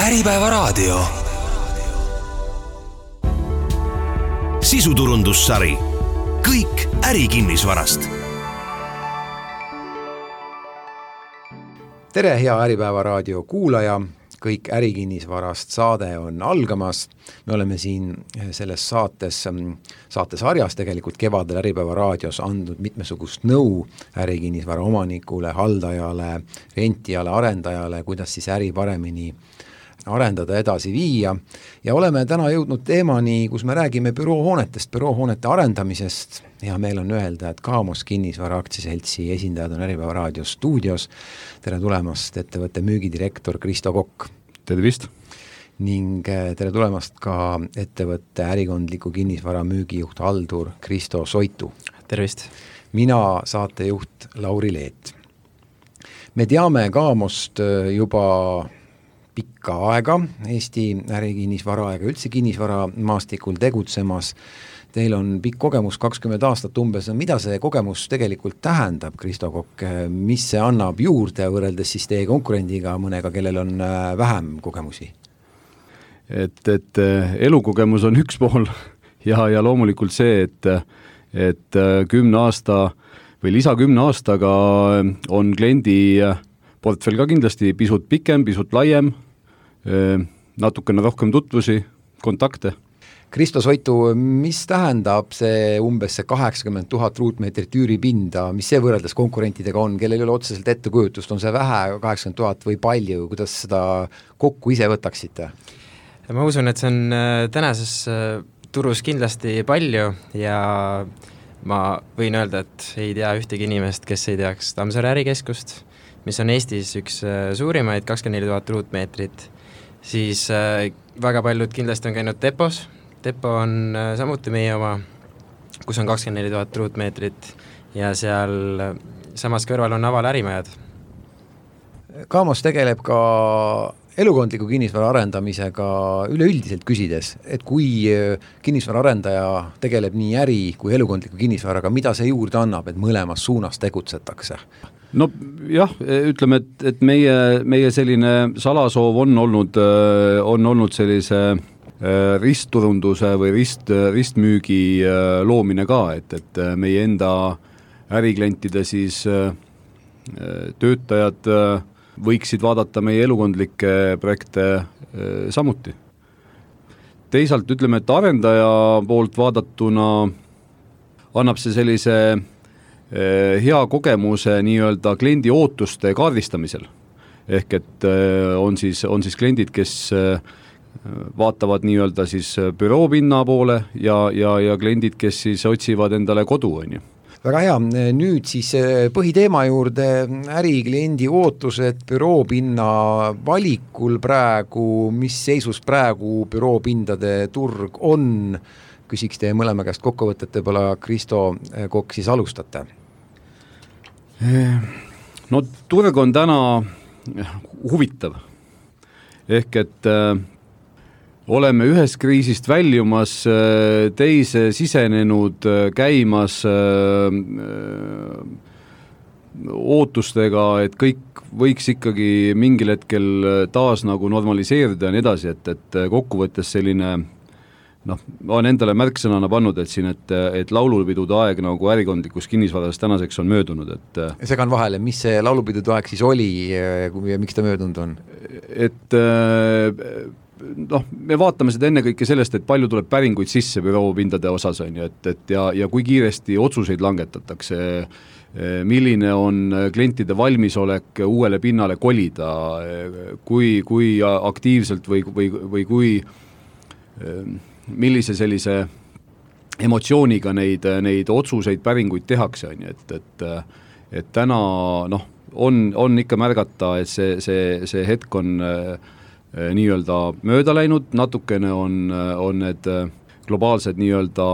Äripäevaraadio. Sisuturundussari. Kõik ärikinnisvarast. Tere, hea Äripäevaraadio kuulaja. Kõik ärikinnisvarast saade on algamas. Me oleme siin selles saatesarjas tegelikult kevadel Äripäevaraadios andnud mitmesugust nõu ärikinnisvara omanikule, haldajale, rentijale, arendajale, kuidas siis äri paremini arendada, edasi viia. Ja oleme täna jõudnud teemani, kus me räägime büroohoonetest, büroohoonete arendamisest. Ja meil on öelda, et Kaamos Kinnisvara aktsiaseltsi esindajad on Äripäevaraadios stuudios. Tere tulemast ettevõtte müügidirektor Kristo Kokk. Tervist! Ning tere tulemast ka ettevõtte ärikondliku kinnisvara müügijuht Haldur Kristo Soitu. Tervist! Mina saatejuht Lauri Leet. Me teame Kaamost juba pikka aega, Eesti ärikinnisvara aega, üldse kinnisvara maastikul tegutsemas. Teil on pikk kogemus 20 aastat umbes. Mida see kogemus tegelikult tähendab, Kristo Kokk? Mis see annab juurde võrreldes siis teie konkurendiga, mõnega, kellel on vähem kogemusi? Et elukogemus on üks pool ja loomulikult see, et 10 aasta või lisa 10 aastaga on kliendi portfell ka kindlasti pisut pikem, pisut laiem, natukene rohkem tutvusi, kontakte. Kristo Soitu, mis tähendab see umbes 80 000 ruutmeetrit üüripinda, mis see võrreldes konkurentidega on, kellel ei ole otseselt ettekujutust, on see vähe 80 000 või palju, kuidas seda kokku ise võtaksite? Ma usun, et see on tänases turus kindlasti palju ja ma võin öelda, et ei tea ühtegi inimest, kes ei teaks Tammsaare ärikeskust, mis on Eestis üks suurimaid, 24 000 ruutmeetrit, siis väga paljud kindlasti on käinud Depos. Depo on samuti meie oma, kus on 24 000 ruutmeetrit ja seal samas kõrval on Aval ärimajad. Kaamos tegeleb ka elukondliku kinnisvara arendamisega üleüldiselt küsides, et kui kinnisvara arendaja tegeleb nii äri kui elukondliku kinnisvaraga, mida see juurde annab, et mõlemas suunas tegutsetakse? No jah, ütleme, et meie selline salasoov on olnud sellise ristturunduse või ristmüügi loomine ka, et meie enda äriklientide siis töötajad võiksid vaadata meie elukondlikke projekte samuti. Teisalt ütleme, et arendaja poolt vaadatuna annab see sellise hea kogemuse nii-öelda kliendi ootuste kaardistamisel. Ehk et on siis kliendid, kes vaatavad nii-öelda siis büroopinna poole ja kliendid, kes siis otsivad endale kodu. Väga hea, nüüd siis põhiteema juurde ärikliendi ootused büroopinna valikul praegu, mis seisus praegu büroopindade turg on? Küsiks teie mõlema käest kokkuvõtet, võib-olla Kristo Kokk siis alustate. No turg on täna huvitav. Ehk et oleme ühest kriisist väljumas, teise sisenenud, käimas ootustega, et kõik võiks ikkagi mingil hetkel taas nagu normaliseerida ja nii edasi, et kokkuvõttes selline olen endale märksõnana pannud, et siin, et laulupidude aeg nagu ärikondlikus kinnisvaras tänaseks on möödunud. Segan vahele, mis see laulupidude aeg siis oli ja miks ta möödunud on? Et me vaatame seda enne kõike sellest, et palju tuleb päringuid sisse büroopindade osas on ju, ja kui kiiresti otsuseid langetatakse, milline on klientide valmisolek uuele pinnale kolida, kui aktiivselt või kui millise sellise emotsiooniga neid otsuseid, päringuid tehakse, et täna on ikka märgata, et see hetk on nii-öelda mööda läinud, natukene on need globaalsed nii-öelda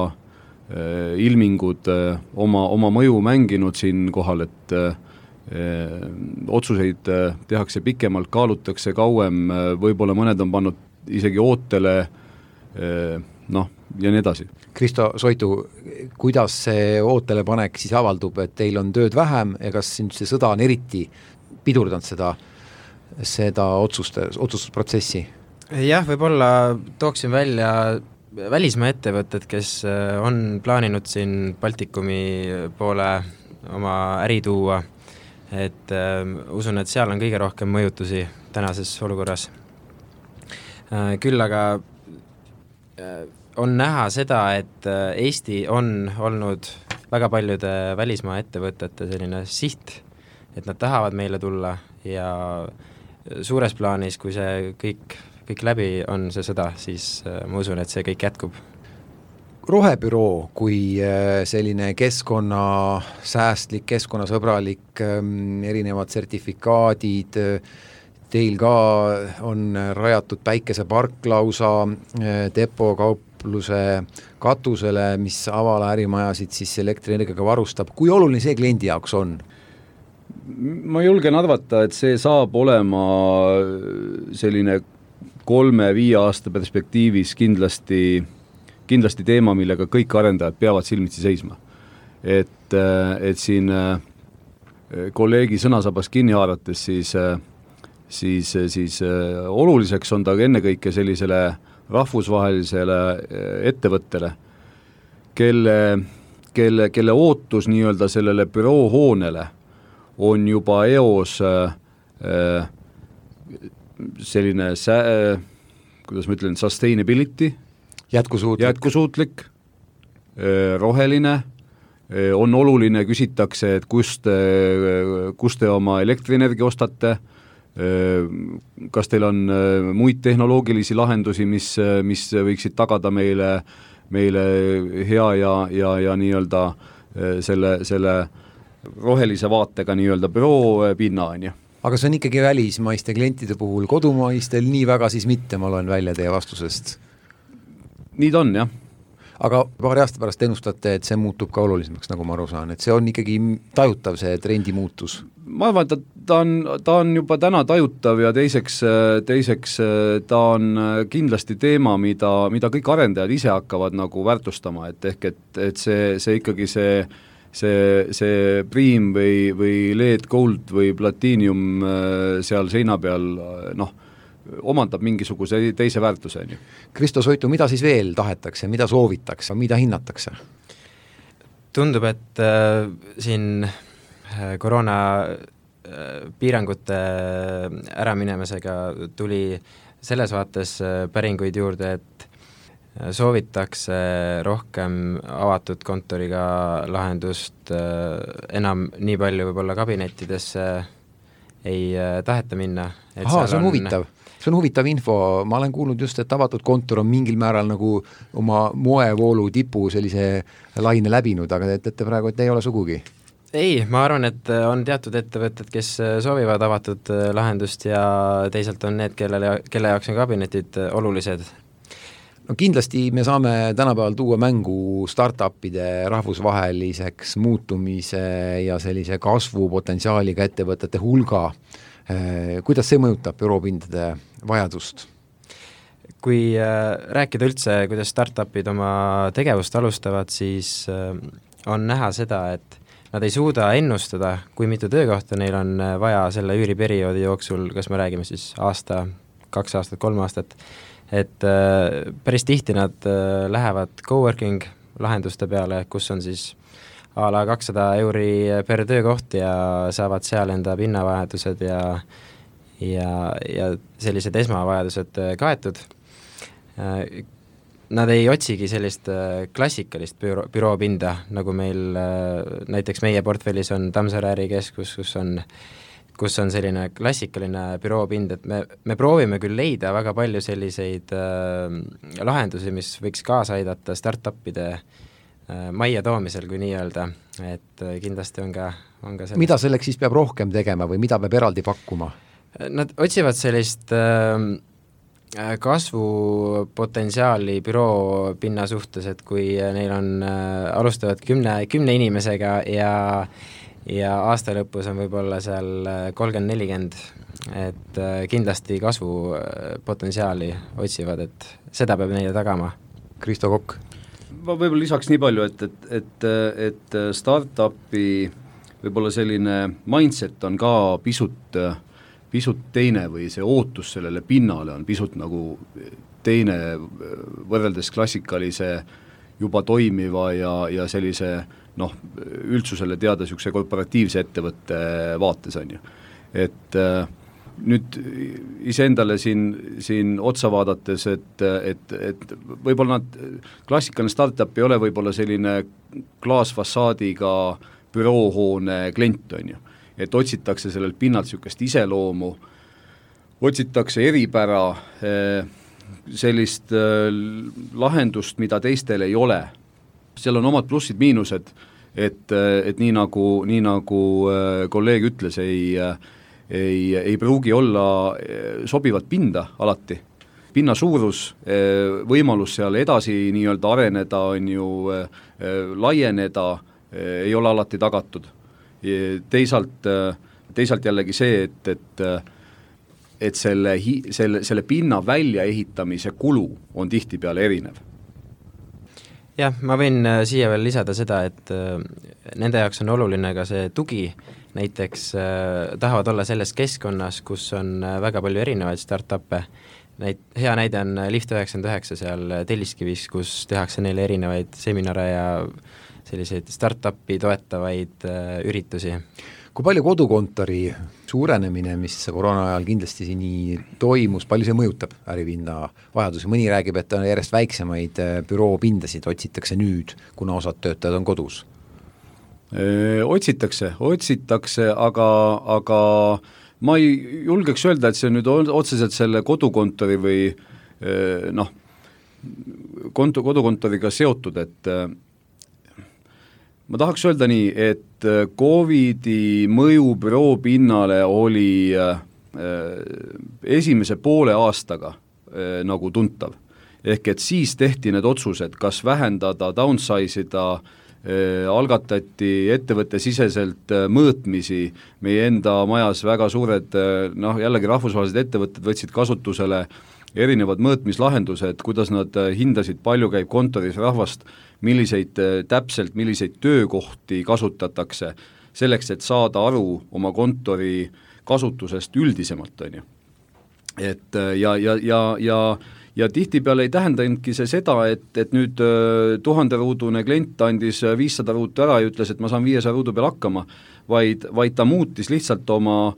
ilmingud oma mõju mänginud siin kohal, et otsuseid tehakse pikemalt, kaalutakse kauem, võib-olla mõned on pannud isegi ootele ja nii edasi. Kristo Soitu, kuidas see ootele panek siis avaldub, et teil on tööd vähem ja kas see sõda on eriti pidurdanud seda otsustusprotsessi? Jah, võib-olla tooksin välja välismaa ettevõtted, kes on plaaninud siin Baltikumi poole oma äri tuua, et usun, et seal on kõige rohkem mõjutusi tänases olukorras. Küll aga on näha seda, et Eesti on olnud väga paljude välismaa ettevõtete selline siht, et nad tahavad meile tulla ja suures plaanis, kui see kõik läbi on see sõda, siis ma usun, et see kõik jätkub. Rohebüroo kui selline keskkonnasäästlik, keskkonnasõbralik, erinevad sertifikaadid, teil ka on rajatud päikesepark lausa depokaupluse katusele, mis avala ärimajasid siis elektrienergiaga varustab. Kui oluline see kliendi jaoks on? Ma julgen arvata, et see saab olema selline 3-5 aasta perspektiivis kindlasti teema, millega kõik arendajad peavad silmitsi seisma. Et siin kolleegi sõnasabas kinni haarates, siis oluliseks on ta ennekõike sellisele rahvusvahelisele ettevõttele, kelle ootus nii-öelda sellele büroohoonele on juba eos selline, kuidas ma ütlen, sustainability, jätkusuutlik, roheline, on oluline, küsitakse, et kust te oma elektrienergia ostate, kas teil on muid tehnoloogilisi lahendusi, mis võiksid tagada meile hea ja nii-öelda selle rohelise vaatega nii-öelda büroo pinna, on ju. Aga see on ikkagi välismaiste klientide puhul, kodumaistel nii väga siis mitte, ma loen välja teie vastusest. Nii ta on, jah. Aga paari aasta pärast ennustate, et see muutub ka olulisemaks, nagu ma aru saan, et see on ikkagi tajutav see trendi muutus? Ma arvan, et ta on juba täna tajutav ja teiseks ta on kindlasti teema, mida kõik arendajad ise hakkavad nagu väärtustama, et see ikkagi see priim või LED gold või platiinium seal seina peal, omandab mingisuguse teise väärtuse. Kristo Soitu, mida siis veel tahetakse, mida soovitakse, mida hinnatakse? Tundub, et siin koroona piirangute äraminemisega tuli selles vaates päringuid juurde, et soovitakse rohkem avatud kontoriga lahendust, enam nii palju võib-olla kabinettidesse ei taheta minna. See on huvitav. See on huvitav info, ma olen kuulnud just, et avatud kontor on mingil määral nagu oma moevoolu tipu sellise laine läbinud, aga te ütlete praegu, et ei ole sugugi. Ei, ma arvan, et on teatud ettevõtted, kes soovivad avatud lahendust ja teisalt on need, kelle jaoks on kabinetid olulised. No kindlasti me saame tänapäeval tuua mängu startupide rahvusvaheliseks muutumise ja sellise kasvupotentsiaaliga ettevõtete hulga. Kuidas see mõjutab büroopindade vajadust? Kui rääkida üldse, kuidas startupid oma tegevust alustavad, siis on näha seda, et nad ei suuda ennustada, kui mitu töökohta neil on vaja selle üüriperioodi jooksul, kas me räägime siis aasta, 2 aastat, 3 aastat, et päris tihti nad lähevad coworking lahenduste peale, kus on siis a la 200 euri per töökoht ja saavad seal enda pinnavajadused ja sellised esmavajadused kaetud. Nad ei otsigi sellist klassikalist büroopinda, nagu meil näiteks meie portfellis on Tammsaare ärikeskus, kus on selline klassikaline büroopind, et me proovime küll leida väga palju selliseid lahendusi, mis võiks kaasa aidata startupide majja toomisel, kui nii öelda, et kindlasti on ka sellest. Mida selleks siis peab rohkem tegema või mida peab eraldi pakkuma? Nad otsivad sellist kasvupotentsiaali büroo pinna suhtes, et kui neil on, alustavad 10 inimesega ja aasta lõpus on võib-olla seal 30-40, et kindlasti kasvupotentsiaali otsivad, et seda peab neile tagama. Kristo Kokk. Ma võib-olla lisaks nii palju, et startupi võib-olla selline mindset on ka pisut pisut teine või see ootus sellele pinnale on pisut nagu teine võrreldes klassikalise juba toimiva ja sellise üldsusele teada niisuguse korporatiivse ettevõtte vaates on ju. Et nüüd iseendale siin otsa vaadates, et võib-olla klassikaline startup ei ole võib-olla selline klaasfassaadiga büroohoone klient on ju, et otsitakse sellelt pinnalt niisugust iseloomu, otsitakse eripära, sellist lahendust, mida teistel ei ole. Seal on omad plussid-miinused, et nii nagu kolleeg ütles, ei pruugi olla sobivat pinda alati. Pinna suurus, võimalus seal edasi nii-öelda areneda on ju, laieneda, ei ole alati tagatud. Teisalt jällegi see, et selle pinna väljaehitamise kulu on tihtipeale erinev. Jah, ma võin siia veel lisada seda, et nende jaoks on oluline ka see tugi, näiteks tahavad olla selles keskkonnas, kus on väga palju erinevaid startup'e. Hea näide on Lift 99 seal Telliskivis, kus tehakse neile erinevaid seminare ja selliseid startup'i toetavaid üritusi. Kui palju kodukontori suurenemine, mis koroona ajal kindlasti nii toimus, palju see mõjutab äripinda vajadusi? Mõni räägib, et on järjest väiksemaid büroopindasid otsitakse nüüd, kuna osad töötajad on kodus. Otsitakse, aga ma ei julgeks öelda, et see nüüd otseselt selle kodukontori või kodukontoriga seotud, et ma tahaks öelda nii, et Covidi mõju büroopinnale oli esimese poole aastaga nagu tuntav. Ehk et siis tehti need otsused, kas vähendada, downsize ida, algatati ettevõtte siseselt mõõtmisi, meie enda majas väga suured, jällegi rahvusvahelised ettevõtted võtsid kasutusele erinevad mõõtmislahendused, kuidas nad hindasid, palju käib kontoris rahvast, milliseid töökohti kasutatakse, selleks, et saada aru oma kontori kasutusest üldisemalt, on ju. Et ja tihtipeale ei tähendanudki see seda, et nüüd 1000-ruudune klient andis 500 ruutu ära ja ütles, et ma saan 500 ruudu peal hakkama, vaid ta muutis lihtsalt oma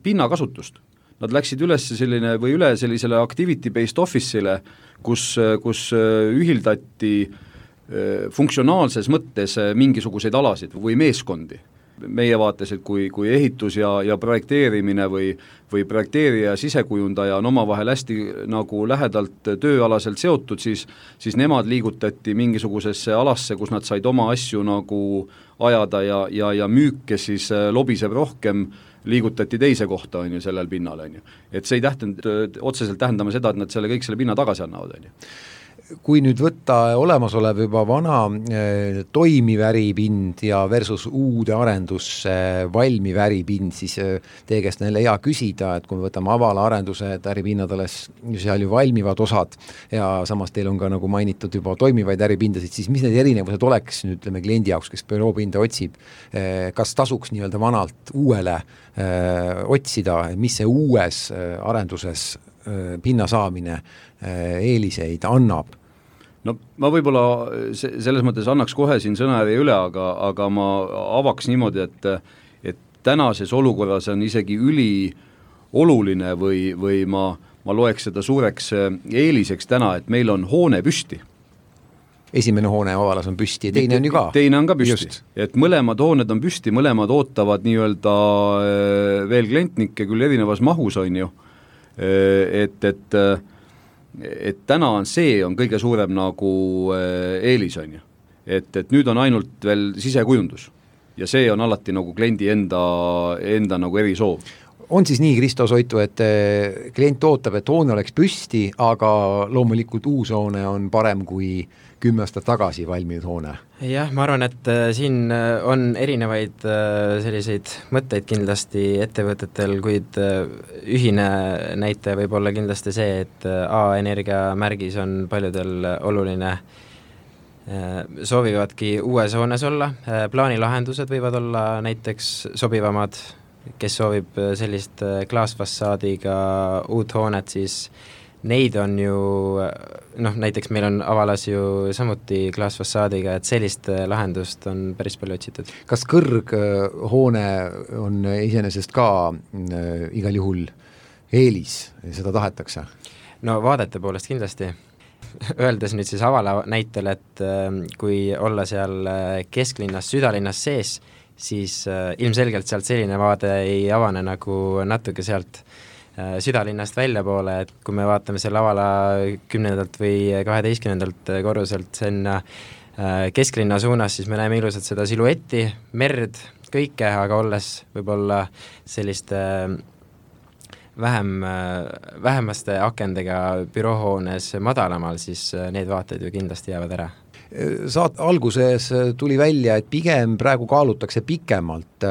pinnakasutust. Nad läksid üle sellisele activity-based office'ile, kus ühildati funktsionaalses mõttes mingisuguseid alasid või meeskondi. Meie vaates, et kui ehitus ja projekteerimine või projekteerija ja sisekujundaja on omavahel hästi nagu lähedalt tööalaselt seotud, siis nemad liigutati mingisugusesse alasse, kus nad said oma asju nagu ajada ja müüke siis lobiseb rohkem, liigutati teise kohta on ju sellel pinnal on ju. Et see ei otseselt tähendama seda, et nad kõik selle pinna tagasi annavad on ju. Kui nüüd võtta olemasolev juba vana toimiv äripind ja versus uude arendusse valmiv äripind, siis teie käest on hea küsida, et kui me võtame avala arendused, äripinnad alles seal ju valmivad osad ja samas teil on ka nagu mainitud juba toimivaid äripindasid, siis mis need erinevused oleks nüüd kliendi jaoks, kes büroopinda otsib, kas tasuks nii-öelda vanalt uuele otsida, mis see uues arenduses pinna saamine eeliseid annab? No ma võib-olla selles mõttes annaks kohe siin sõnajärje üle, aga ma avaks niimoodi, et tänases olukorras on isegi ülioluline või ma loeks seda suureks eeliseks täna, et meil on hoone püsti. Esimene hoone avalas on püsti ja teine on ju ka. Teine on ka püsti, et mõlemad hooned on püsti, mõlemad ootavad nii-öelda veel klientnikke küll erinevas mahus on ju, et täna on kõige suurem nagu eelis on ju, et nüüd on ainult veel sisekujundus ja see on alati nagu kliendi enda nagu erisoov. On siis nii, Kristo Soitu, et klient ootab, et hoone oleks püsti, aga loomulikult uus hoone on parem kui 10 aastat tagasi valminud hoone? Jah, ma arvan, et siin on erinevaid selliseid mõtteid kindlasti ettevõtetel, kuid ühine näitaja võib olla kindlasti see, et A-energia märgis on paljudel oluline, soovivadki uues hoones olla, plaanilahendused võivad olla näiteks sobivamad, kes soovib sellist klaasfassaadiga uut hoonet, siis neid on ju, näiteks meil on Avalas ju samuti klaasfassaadiga, et sellist lahendust on päris palju otsitud. Kas kõrghoone on iseenesest ka igal juhul eelis, seda tahetakse? No vaadete poolest kindlasti. Öeldes nüüd siis Avala näitel, et kui olla seal kesklinnas, südalinnas sees, siis ilmselgelt sealt selline vaade ei avane nagu natuke sealt südalinnast välja poole, et kui me vaatame selle Avala 10. või 12. korruselt sinna kesklinna suunas, siis me näeme ilusat seda siluetti, merd, kõike, aga olles võib-olla selliste vähemaste akendega büroohoones madalamal, siis need vaated ju kindlasti jäävad ära. Alguses tuli välja, et pigem praegu kaalutakse pikemalt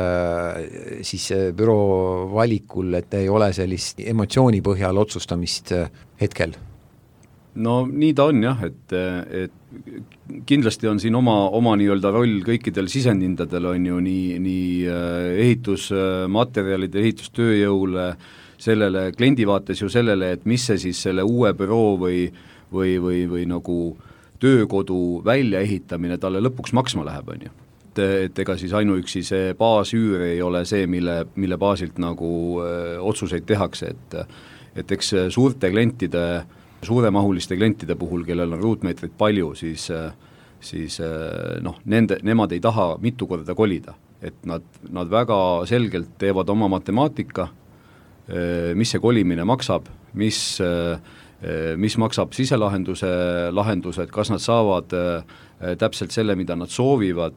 siis büroo valikul, et ei ole sellist emotsiooni põhjal otsustamist hetkel. No nii ta on jah, et kindlasti on siin oma nii-öelda roll kõikidel sisendindadel on ju nii ehitusmaterjalide, ehitustööjõule, sellele kliendi vaates ju sellele, et mis see siis selle uue büroo või nagu töökodu väljaehitamine talle lõpuks maksma läheb, on ju. Et ega siis ainuüksi see baasüür ei ole see, mille baasilt nagu otsuseid tehakse, et eks suurte klientide, suuremahuliste klientide puhul, kellel on ruutmeetrit palju, siis nemad ei taha mitu korda kolida, et nad väga selgelt teevad oma matemaatika, mis see kolimine maksab, mis maksab siselahendused, kas nad saavad täpselt selle, mida nad soovivad,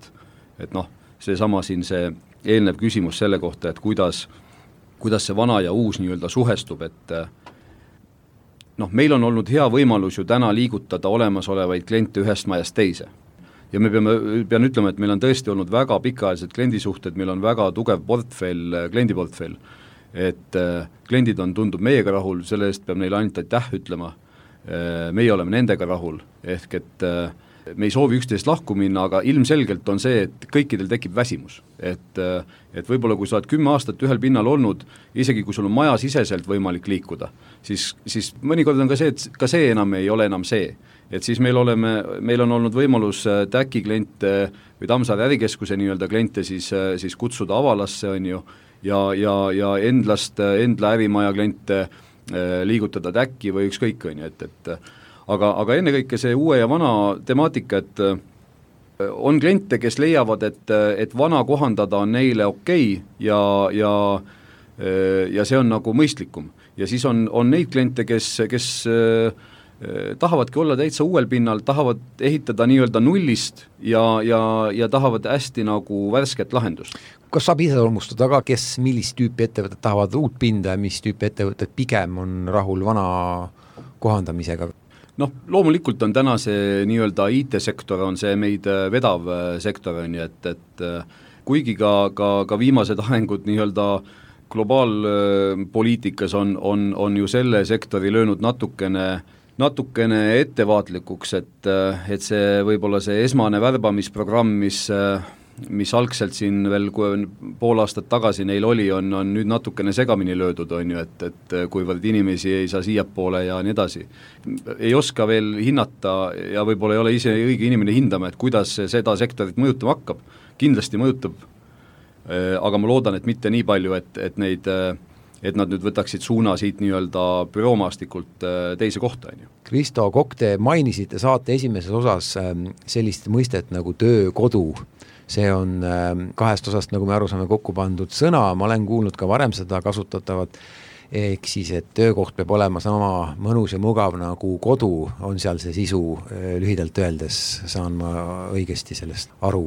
et seesama siin see eelnev küsimus selle kohta, et kuidas see vana ja uus nii-öelda suhestub, et meil on olnud hea võimalus ju täna liigutada olemasolevaid kliente ühest majast teise. Ja me pean ütlema, et meil on tõesti olnud väga pikaajalised kliendisuhted, meil on väga tugev kliendiportfell, et kliendid tundub meiega rahul, selle eest peab neile ainult aitäh ütlema, meie oleme nendega rahul, ehk et me ei soovi üksteist lahku minna, aga ilmselgelt on see, et kõikidel tekib väsimus, et võib-olla kui sa oled 10 aastat ühel pinnal olnud, isegi kui sul on maja siseselt võimalik liikuda, siis mõnikord on ka see, et ka see enam ei ole enam see, et siis meil on olnud võimalus TÄKi kliente või Tammsaare ärikeskuse nii-öelda kliente siis kutsuda Avalasse, on ju, ja Endla ärimaja kliente liigutada TÄKi või ükskõik, on ju, et aga ennekõike see uue ja vana temaatika, et on kliente, kes leiavad, et vana kohandada on neile okei ja see on nagu mõistlikum. Ja siis on neid kliente, kes tahavadki olla täitsa uuel pinnal, tahavad ehitada nii-öelda nullist ja tahavad hästi nagu värsket lahendust. Kas saab ise olmustada ka, kes millist tüüpi ettevõtted tahavad uut pinda ja mis tüüpi ettevõtted pigem on rahul vana kohandamisega? Loomulikult on täna see nii-öelda IT-sektor on see meid vedav sektor, on ju, et kuigi ka viimased arengud nii-öelda globaalpoliitikas on ju selle sektori löönud natukene ettevaatlikuks, et see võib-olla see esmane värbamisprogramm, mis algselt siin veel pool aastat tagasi neil oli, on nüüd natukene segamini löödud, on ju, et kuivõrd inimesi ei saa siiapoole ja nii edasi. Ei oska veel hinnata ja võib-olla ei ole ise õige inimene hindama, et kuidas seda sektorit mõjutama hakkab. Kindlasti mõjutab, aga ma loodan, et mitte nii palju, et nad nüüd võtaksid suuna siit nii-öelda büroomastikult teise kohta, on ju. Kristo Kokk, te mainisite saate esimeses osas sellist mõistet nagu töökodu. See on 2 osast, nagu me aru saame, kokku pandud sõna, ma olen kuulnud ka varem seda kasutatavat, ehk siis, et töökoht peab olema sama mõnus ja mugav nagu kodu, on seal see sisu lühidalt öeldes, saan ma õigesti sellest aru?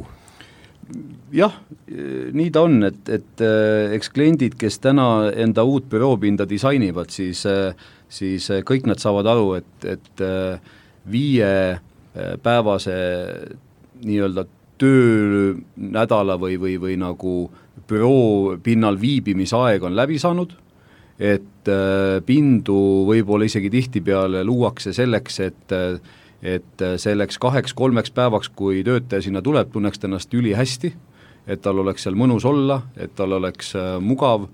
Jah, nii ta on, et eks kliendid, kes täna enda uut büroopinda disainivad, siis kõik nad saavad aru, et 5 päevase nii-öelda töönädala või nagu büroo pinnal viibimisaeg on läbi saanud, et pindu võib-olla isegi tihtipeale luuakse selleks, et selleks 2-3 päevaks, kui töötaja sinna tuleb, tunneks ennast üli hästi, et tal oleks seal mõnus olla, et tal oleks mugav,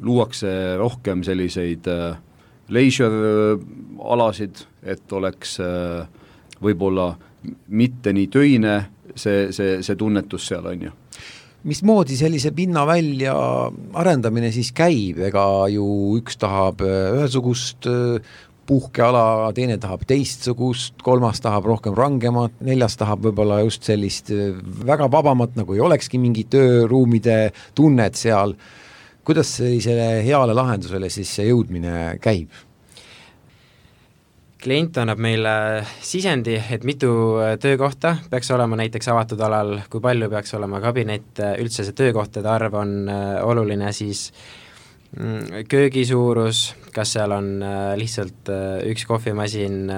luuakse rohkem selliseid leisure-alasid, et oleks võib-olla mitte nii töine see tunnetus seal on ju. Mismoodi sellise pinna välja arendamine siis käib, ega ju üks tahab ühesugust puhkeala, teine tahab teistsugust, kolmas tahab rohkem rangemat, neljas tahab võib-olla just sellist väga vabamat, nagu ei olekski mingi tööruumide tunnet seal. Kuidas sellisele heale lahendusele siis see jõudmine käib? Klient annab meile sisendi, et mitu töökohta peaks olema näiteks avatud alal, kui palju peaks olema kabinet, üldse see töökohtade arv on oluline, siis köögi suurus, kas seal on lihtsalt üks kohvimasin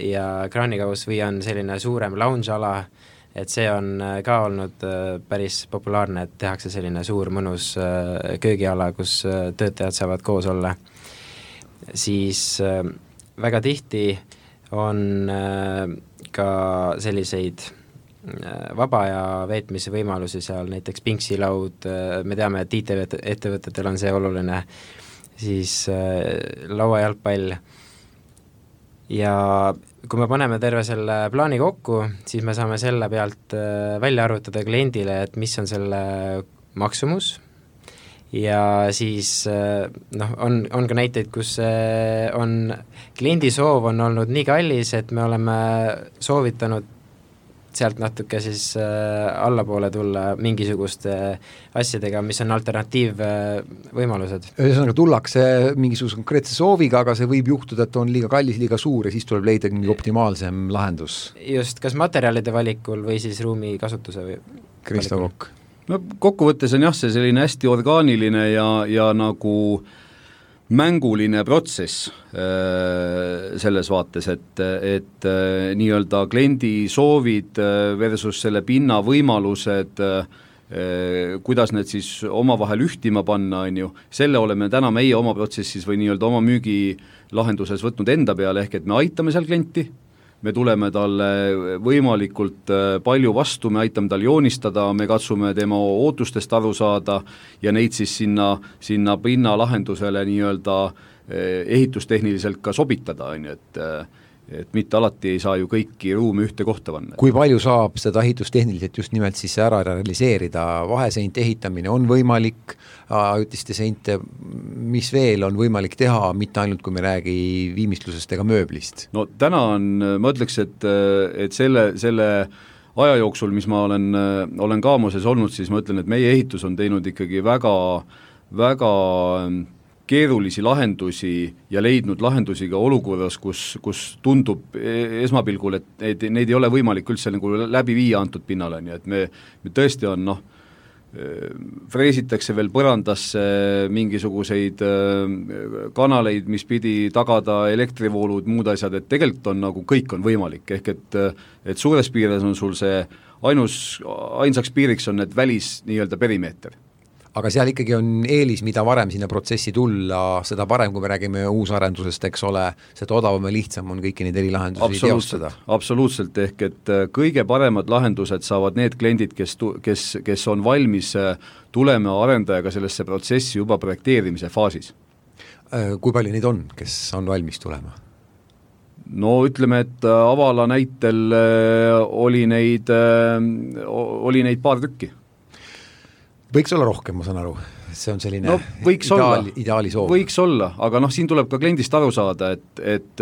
ja kraanikauss või on selline suurem lounge-ala, et see on ka olnud päris populaarne, et tehakse selline suur mõnus köögiala, kus töötajad saavad koos olla. Siis väga tihti on ka selliseid vaba aja veetmise võimalusi seal, näiteks pingsilaud, me teame, et IT-ettevõtetel on see oluline, siis lauajalgpall. Ja kui me paneme terve selle plaani kokku, siis me saame selle pealt välja arvutada kliendile, et mis on selle maksumus. Ja siis on ka näiteid, kus on kliendi soov on olnud nii kallis, et me oleme soovitanud sealt natuke siis allapoole tulla mingisuguste asjadega, mis on alternatiivvõimalused. Ühesõnaga tullakse mingisuguse konkreetse sooviga, aga see võib juhtuda, et on liiga kallis, liiga suur ja siis tuleb leida mingi optimaalsem lahendus. Just, kas materjalide valikul või siis ruumi kasutuse või Kristo Kokk. No kokkuvõttes on jah, see selline hästi orgaaniline ja nagu mänguline protsess selles vaates, et nii-öelda kliendi soovid versus selle pinna võimalused, kuidas need siis omavahel ühtima panna, on ju, selle oleme täna meie oma protsessis või nii-öelda oma müügilahenduses võtnud enda peale, ehk et me aitame seal klienti, me tuleme talle võimalikult palju vastu, me aitame tal joonistada, me katsume tema ootustest aru saada ja neid siis sinna pinna lahendusele nii-öelda ehitustehniliselt ka sobitada, on ju, et mitte alati ei saa ju kõiki ruumi ühte kohta panna. Kui palju saab seda ehitustehniliselt just nimelt siis ära realiseerida? Vaheseinte ehitamine on võimalik, ajutiste seinte, mis veel on võimalik teha, mitte ainult kui me räägi viimistlusest ega mööblist? No täna on, ma ütleks, et selle aja jooksul, mis ma olen Kaamoses olnud, siis ma ütlen, et meie ehitus on teinud ikkagi väga, väga keerulisi lahendusi ja leidnud lahendusi ka olukorras, kus tundub esmapilgul, et neid ei ole võimalik üldse nagu läbi viia antud pinnale, nii et me tõesti on, freesitakse veel põrandasse mingisuguseid kanaleid, mis pidi tagada elektrivoolud, muud asjad, et tegelikult on nagu kõik on võimalik, ehk et suures piires on sul see ainsaks piiriks on need välis nii-öelda perimeeter. Aga seal ikkagi on eelis, mida varem sinna protsessi tulla, seda parem, kui me räägime uusarendusest, eks ole, seda odavam ja lihtsam on kõiki neid erilahendusi teostada. Absoluutselt, ehk et kõige paremad lahendused saavad need kliendid, kes on valmis tulema arendajaga sellesse protsessi juba projekteerimise faasis. Kui palju neid on, kes on valmis tulema? No ütleme, et Avala näitel oli neid paar tükki. Võiks olla rohkem, ma saan aru, see on selline ideaali soov. Võiks olla, aga siin tuleb ka kliendist aru saada, et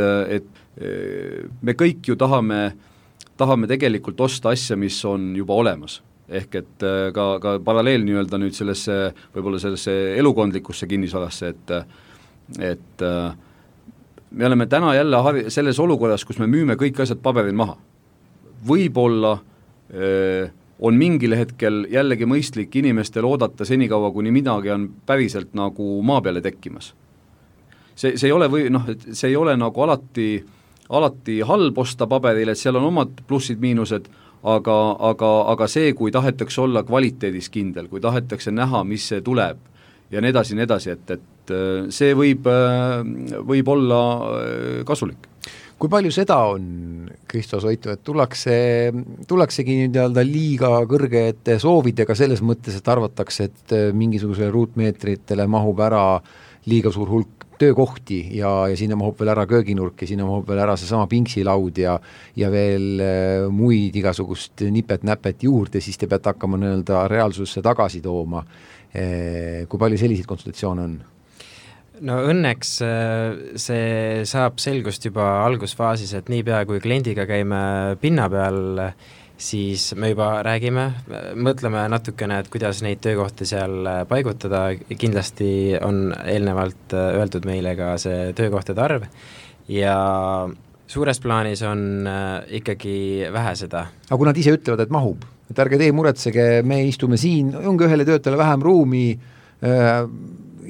me kõik ju tahame tegelikult osta asja, mis on juba olemas. Ehk et ka paralleel nii-öelda nüüd võib-olla sellesse elukondlikusse kinnisvarasse, et me oleme täna jälle selles olukorras, kus me müüme kõik asjad paberil maha. Võib-olla on mingil hetkel jällegi mõistlik inimestel oodata senikaua, kuni midagi on päriselt nagu maa peale tekkimas. See ei ole see ei ole nagu alati halb osta paberil, et seal on omad plussid-miinused, aga see, kui tahetakse olla kvaliteedis kindel, kui tahetakse näha, mis see tuleb ja nii edasi, et see võib olla kasulik. Kui palju seda on, Kristo Soitu, et tullaksegi nii-öelda liiga kõrgete soovidega selles mõttes, et arvatakse, et mingisugusele ruutmeetritele mahub ära liiga suur hulk töökohti ja sinna mahub veel ära kööginurk ja sinna mahub veel ära seesama pingsilaud ja veel muid igasugust nipet-näpet juurde, siis te peate hakkama nii-öelda reaalsusse tagasi tooma. Kui palju selliseid konsultatsioone on? No õnneks see saab selgust juba algusfaasis, et niipea kui kliendiga käime pinna peal, siis me juba räägime, mõtleme natukene, et kuidas neid töökohti seal paigutada, kindlasti on eelnevalt öeldud meile ka see töökohtade arv ja suures plaanis on ikkagi vähe seda. Aga kui nad ise ütlevad, et mahub, et ärge tee muretsege, me istume siin, ongi ühele töötajale vähem ruumi,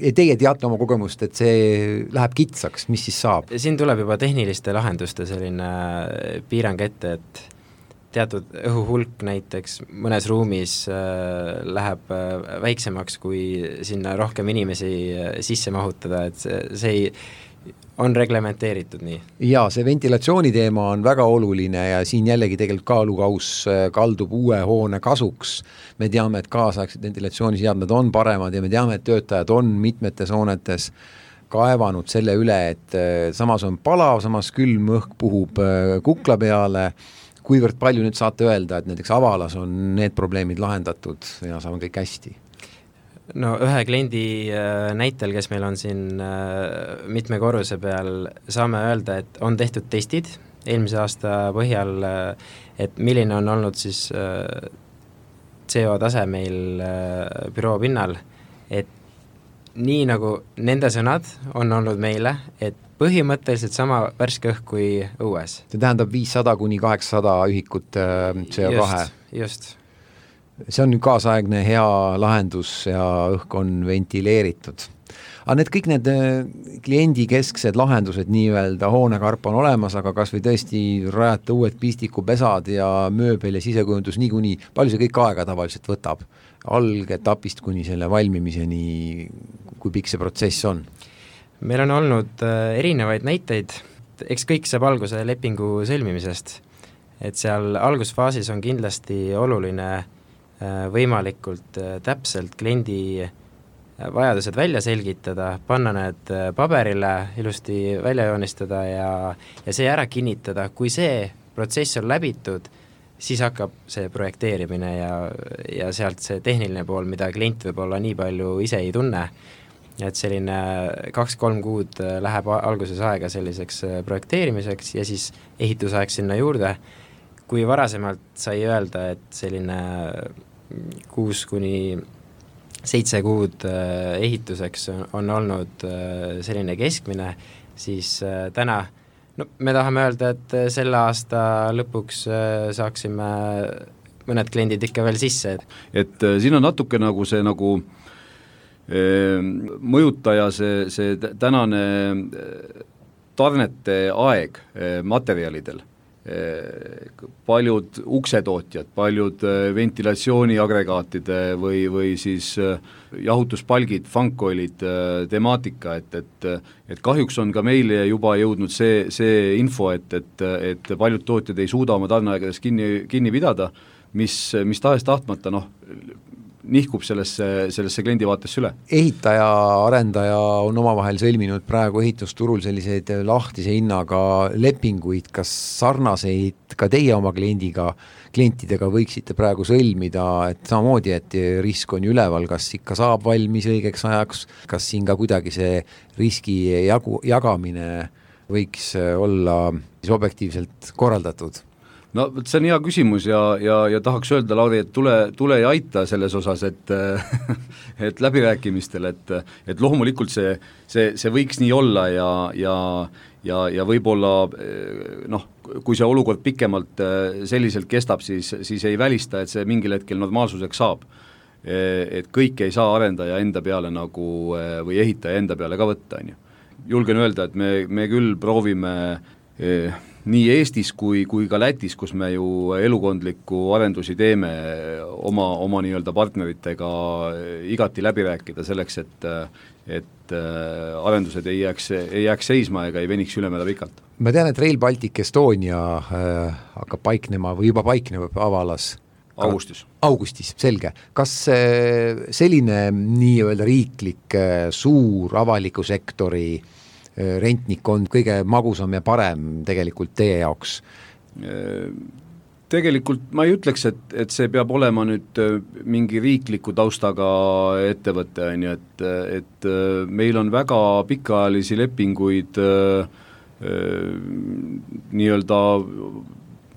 ja teie teate oma kogemust, et see läheb kitsaks, mis siis saab? Siin tuleb juba tehniliste lahenduste selline piirang ette, et teatud õhuhulk näiteks mõnes ruumis läheb väiksemaks, kui sinna rohkem inimesi sisse mahutada, et see on reglementeeritud nii. Ja see ventilatsiooni teema on väga oluline ja siin jällegi tegelikult kaalukaus kaldub uue hoone kasuks. Me teame, et kaasaegsed ventilatsiooniseadmed on paremad ja me teame, et töötajad on mitmetes hoonetes kaevanud selle üle, et samas on palav, samas külm õhk puhub kukla peale. Kuivõrd palju nüüd saate öelda, et näiteks Avalas on need probleemid lahendatud ja saame kõik hästi? No ühe kliendi näitel, kes meil on siin mitme korruse peal, saame öelda, et on tehtud testid eelmise aasta põhjal, et milline on olnud siis CO tase meil büroo pinnal, et nii nagu nende sõnad on olnud meile, et põhimõtteliselt sama värske õhk kui õues. See tähendab 500 kuni 800 ühikut CO2. Just. See on nüüd kaasaegne hea lahendus ja õhk on ventileeritud. Aga need kõik need kliendikesksed lahendused nii-öelda hoonekarp on olemas, aga kas või tõesti rajata uued pistikupesad ja mööbel ja sisekujundus niikuinii, palju see kõik aega tavaliselt võtab? Algetapist kuni selle valmimiseni, kui pikk see protsess on? Meil on olnud erinevaid näiteid, eks kõik saab alguse lepingu sõlmimisest, et seal algusfaasis on kindlasti oluline võimalikult täpselt kliendi vajadused välja selgitada, panna need paberile, ilusti välja joonistada ja see ära kinnitada. Kui see protsess on läbitud, siis hakkab see projekteerimine ja sealt see tehniline pool, mida klient võib-olla nii palju ise ei tunne, et selline 2-3 kuud läheb alguses aega selliseks projekteerimiseks ja siis ehitusaeg sinna juurde. Kui varasemalt sai öelda, et selline 6 kuni 7 kuud ehituseks on olnud selline keskmine, siis täna me tahame öelda, et selle aasta lõpuks saaksime mõned kliendid ikka veel sisse. Et siin on natuke nagu see nagu mõjutaja see tänane tarnete aeg materjalidel. Paljud uksetootjad, paljud ventilatsiooniagregaatide või siis jahutuspalgid, funkoilid, temaatika, et kahjuks on ka meile juba jõudnud see info, et paljud tootjad ei suuda oma tarneaegades kinni pidada, mis tahes tahtmata nihkub sellesse kliendi vaatesse üle. Ehitaja, arendaja on omavahel sõlminud praegu ehitusturul selliseid lahtise hinnaga lepinguid, kas sarnaseid ka teie oma klientidega võiksite praegu sõlmida, et samamoodi, et risk on üleval, kas ikka saab valmis õigeks ajaks, kas siin ka kuidagi see riski jagamine võiks olla objektiivselt korraldatud? No see on hea küsimus ja tahaks öelda, Lauri, et tule ja aita selles osas, et läbirääkimistel, et loomulikult see võiks nii olla ja võib-olla kui see olukord pikemalt selliselt kestab, siis ei välista, et see mingil hetkel normaalsuseks saab. Et kõik ei saa arendaja enda peale või ehitaja enda peale ka võtta. Julgen öelda, et me küll proovime nii Eestis kui ka Lätis, kus me ju elukondlikku arendusi teeme oma nii-öelda partneritega igati läbi rääkida selleks, et arendused ei jääks seisma ega ei veniks ülemäära pikalt. Ma tean, et Rail Baltic Estonia hakkab paiknema või juba paikneb avalas Augustis, selge. Kas selline nii-öelda riiklik suur avaliku sektori rentnik on kõige magusam ja parem tegelikult teie jaoks? Tegelikult ma ei ütleks, et see peab olema nüüd mingi riikliku taustaga ettevõte, et meil on väga pikaajalisi lepinguid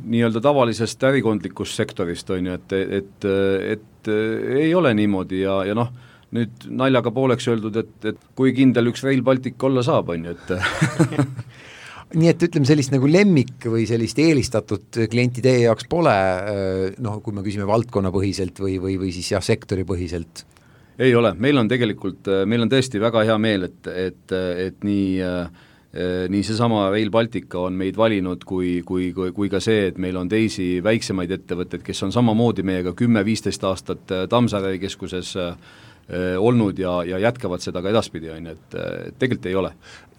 nii-öelda tavalisest ärikondlikust sektorist, et ei ole niimoodi ja noh, nüüd naljaga pooleks öeldud, et kui kindel üks Rail Baltic olla saab, et nii et ütleme sellist nagu lemmik või sellist eelistatud klienti teie jaoks pole, noh, kui me küsime valdkonnapõhiselt või siis jah, sektoripõhiselt? Ei ole, meil on tõesti väga hea meel, et nii seesama Rail Baltica on meid valinud kui ka see, et meil on teisi väiksemaid ettevõtteid, kes on samamoodi meiega 10-15 aastat Tammsaare keskuses olnud ja jätkavad seda ka edaspidi, et tegelikult ei ole.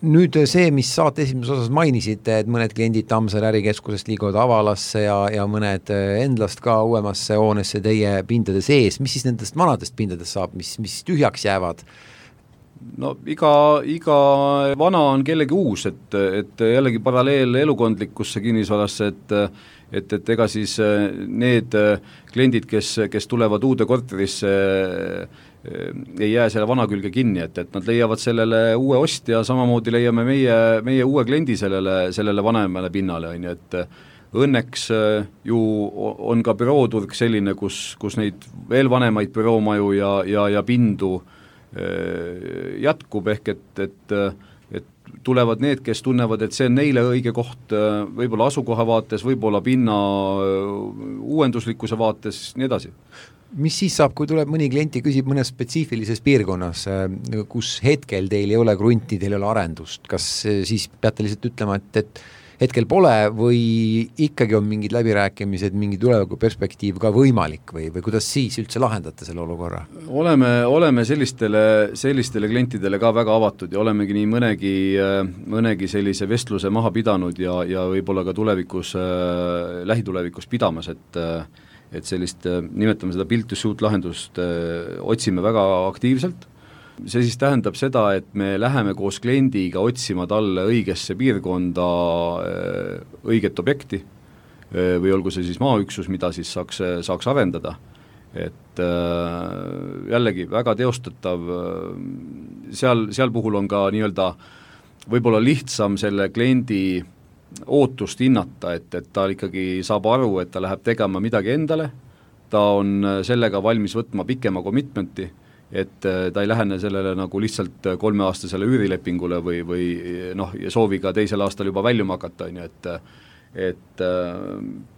Nüüd see, mis saate esimeses osas mainisite, et mõned kliendid Tammsaare ärikeskusest liiguvad avalasse ja mõned endlast ka uuemasse hoonesse teie pindade sees, mis siis nendest vanadest pindadest saab, mis tühjaks jäävad? No iga vana on kellegi uus, et jällegi paralleel elukondlikkusse kinnisvarasse, et ega siis need kliendid, kes tulevad uude korterisse, ei jää selle vana külge kinni, et nad leiavad sellele uue ostja, samamoodi leiame meie uue kliendi sellele vanemale pinnale, et õnneks ju on ka bürooturg selline, kus neid veel vanemaid büroomaju ja pindu jätkub, ehk et tulevad need, kes tunnevad, et see on neile õige koht võib-olla asukoha vaates, võib-olla pinna uuenduslikkuse vaates, nii edasi. Mis siis saab, kui tuleb mõni klienti küsib mõnes spetsiifilises piirkonnas, kus hetkel teil ei ole krunti, teil ei ole arendust, kas siis peate lihtsalt ütlema, et hetkel pole või ikkagi on mingid läbirääkimised, mingi tuleviku perspektiiv ka võimalik või kuidas siis üldse lahendate selle olukorra? Oleme sellistele klientidele ka väga avatud ja olemegi nii mõnegi sellise vestluse maha pidanud ja võib-olla ka lähitulevikus pidamas, et sellist, nimetame seda build to suit lahendust otsime väga aktiivselt. See siis tähendab seda, et me läheme koos kliendiga otsima talle õigesse piirkonda õiget objekti või olgu see siis maaüksus, mida siis saaks arendada. Et jällegi väga teostatav, seal puhul on ka nii-öelda võib-olla lihtsam selle kliendi ootust hinnata, et ta ikkagi saab aru, et ta läheb tegema midagi endale, ta on sellega valmis võtma pikema commitmenti, et ta ei lähene sellele nagu lihtsalt 3-aastasele üürilepingule või sooviga teisel aastal juba väljuma hakata, et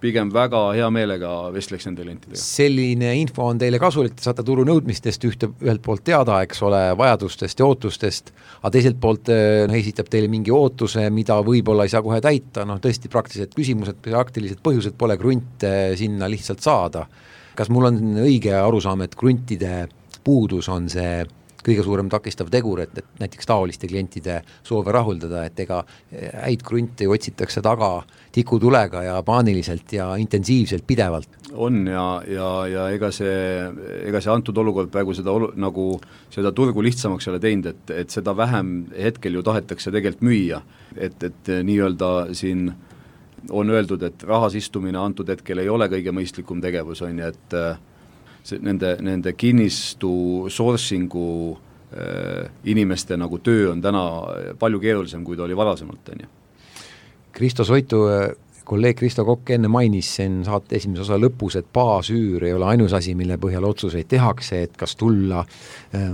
pigem väga hea meelega vestleks nende klientidega. Selline info on teile kasulik, te saate turu nõudmistest ühelt poolt teada, eks ole, vajadustest ja ootustest, aga teiselt poolt esitab teile mingi ootuse, mida võib-olla ei saa kohe täita, tõesti praktilised küsimused, praktilised põhjused pole krunte sinna lihtsalt saada. Kas mul on õige arusaam, et kruntide puudus on see kõige suurem takistav tegur, et näiteks taoliste klientide soove rahuldada, et ega häid krunte otsitakse taga tikutulega ja paaniliselt ja intensiivselt pidevalt? On ja ega see antud olukord praegu seda turgu lihtsamaks ei ole teinud, et seda vähem hetkel ju tahetakse tegelikult müüa, et nii-öelda siin on öeldud, et rahas istumine antud hetkel ei ole kõige mõistlikum tegevus, et nende kinnistu sourcingu inimeste nagu töö on täna palju keerulisem, kui ta oli varasemalt. Kristo Soitu, kolleeg Kristo Kokk enne mainis sen saate esimese osa lõpus, et baasüür ei ole ainus asi, mille põhjal otsuseid tehakse, et kas tulla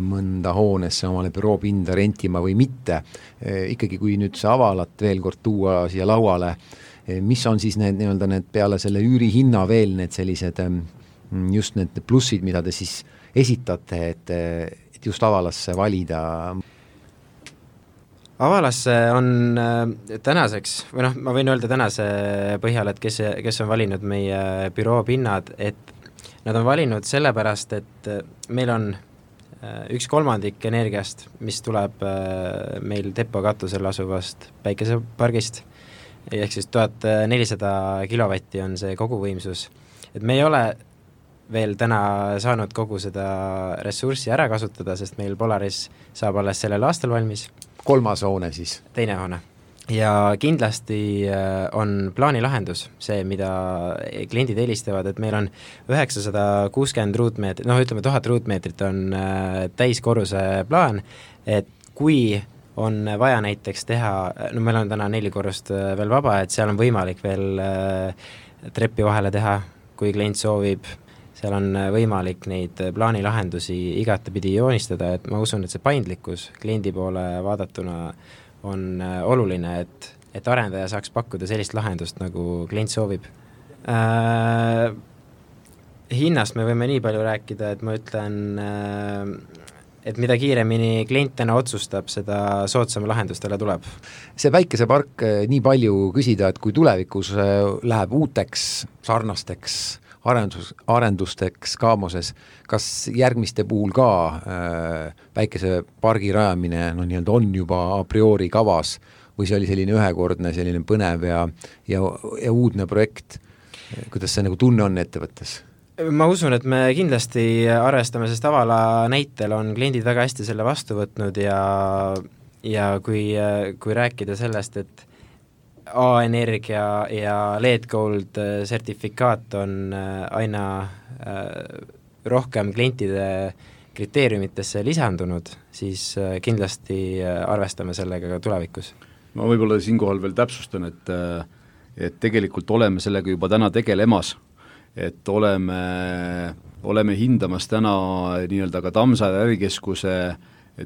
mõnda hoonesse omale büroopinda rentima või mitte. Ikkagi kui nüüd see avalat veel kord tuua siia lauale, mis on siis need peale selle üürihinna veel need sellised just need plussid, mida te siis esitate, et just avalasse valida? Avalasse on tänaseks, või noh, ma võin öelda tänase põhjal, et kes on valinud meie büroo pinnad, et nad on valinud sellepärast, et meil on 1/3 energiast, mis tuleb meil Teppo katusel asuvast päikesepargist, ehk siis 1400 kilovatti on see koguvõimsus. Et me ei ole veel täna saanud kogu seda ressurssi ära kasutada, sest meil Polaris saab alles sellel aastal valmis. 3. hoone siis? 2. hoone. Ja kindlasti on plaanilahendus see, mida kliendid eelistavad, et meil on 960 ruutmeetrit, noh ütleme 1000 ruutmeetrit on täiskorruse plaan, et kui on vaja näiteks teha, no meil on täna 4 korrust veel vaba, et seal on võimalik veel treppi vahele teha, kui klient soovib, seal on võimalik neid plaanilahendusi igatepidi joonistada, et ma usun, et see paindlikkus kliendi poole vaadatuna on oluline, et arendaja saaks pakkuda sellist lahendust, nagu klient soovib. Hinnast me võime nii palju rääkida, et ma ütlen, et mida kiiremini klient täna otsustab, seda soodsama lahendustele tuleb. See päikesepark nii palju küsida, et kui tulevikus läheb uuteks sarnasteks arendusteks Kaamoses, kas järgmiste puhul ka päikesepargi rajamine nii-öelda on juba a priori kavas või see oli selline ühekordne, selline põnev ja uudne projekt? Kuidas see nagu tunne on ettevõttes? Ma usun, et me kindlasti arvestame, sest Avala näitel on kliendid väga hästi selle vastu võtnud ja kui rääkida sellest, et A-energia ja LED Gold sertifikaat on aina rohkem klientide kriteeriumitesse lisandunud, siis kindlasti arvestame sellega ka tulevikus. Ma võib-olla siinkohal veel täpsustan, et tegelikult oleme sellega juba täna tegelemas, et oleme hindamas täna nii-öelda ka Tammsaare ärikeskuse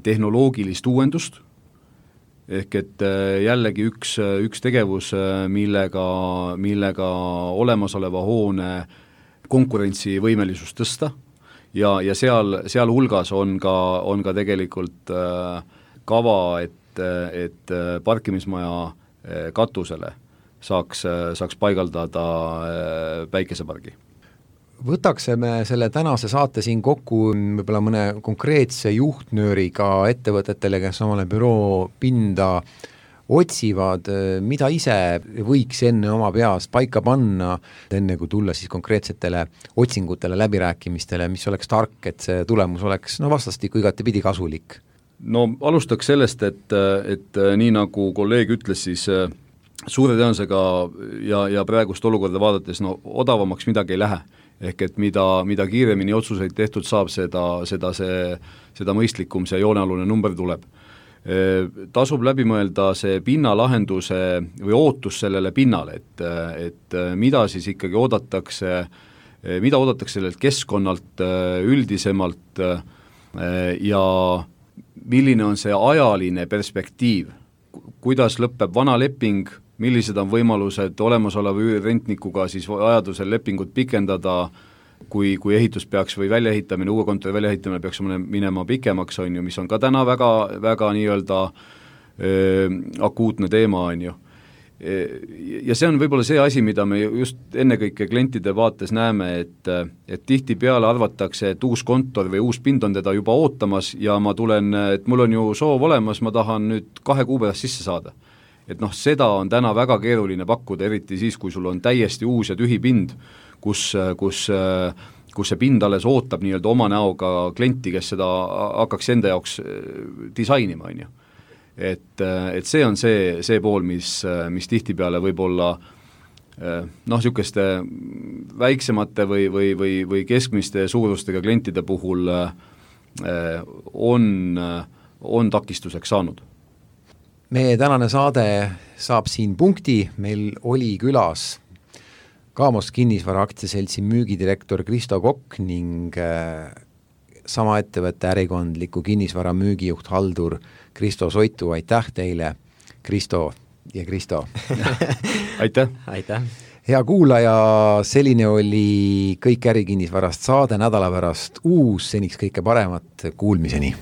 tehnoloogilist uuendust, ehk et jällegi üks tegevus, millega olemasoleva hoone konkurentsivõimelisust tõsta ja seal hulgas on ka tegelikult kava, et parkimismaja katusele saaks paigaldada päikesepargi. Võtaksime selle tänase saate siin kokku võib-olla mõne konkreetse juhtnööriga ettevõtetele, kes omale büroo pinda otsivad, mida ise võiks enne oma peas paika panna, enne kui tulla siis konkreetsetele otsingutele, läbirääkimistele, mis oleks tark, et see tulemus oleks vastastikku igatepidi kasulik? No alustaks sellest, et nii nagu kolleeg ütles, siis suure tõenäosusega ja praegust olukorda vaadates odavamaks midagi ei lähe. Ehk et mida kiiremini otsuseid tehtud saab, seda mõistlikum see joonealune number tuleb. Tasub läbi mõelda see pinnalahenduse või ootus sellele pinnale, et mida siis ikkagi oodatakse sellelt keskkonnalt üldisemalt ja milline on see ajaline perspektiiv, kuidas lõpeb vana leping, millised on võimalused olemasoleva üürrentnikuga siis vajadusel lepingut pikendada, kui ehitus peaks või väljaehitamine, uue kontori väljaehitamine peaks minema pikemaks, on ju, mis on ka täna väga, väga nii-öelda akuutne teema, on ju. Ja see on võib-olla see asi, mida me just ennekõike klientide vaates näeme, et tihtipeale arvatakse, et uus kontor või uus pind on teda juba ootamas ja ma tulen, et mul on ju soov olemas, ma tahan nüüd 2 kuu pärast sisse saada. Et seda on täna väga keeruline pakkuda, eriti siis, kui sul on täiesti uus ja tühi pind, kus see pind alles ootab nii-öelda oma näoga klienti, kes seda hakkaks enda jaoks disainima, on ju. Et see on see pool, mis tihtipeale võib-olla niisuguste väiksemate või keskmiste suurustega klientide puhul on takistuseks saanud. Meie tänane saade saab siin punkti, meil oli külas Kaamos kinnisvara aktsiaseltsi müügidirektor Kristo Kokk ning sama ettevõtte ärikondliku kinnisvara müügijuht haldur Kristo Soitu. Aitäh teile, Kristo ja Kristo! Aitäh! Aitäh! Hea kuulaja, selline oli Kõik ärikinnisvarast saade, nädala pärast uus, seniks kõike paremat, kuulmiseni!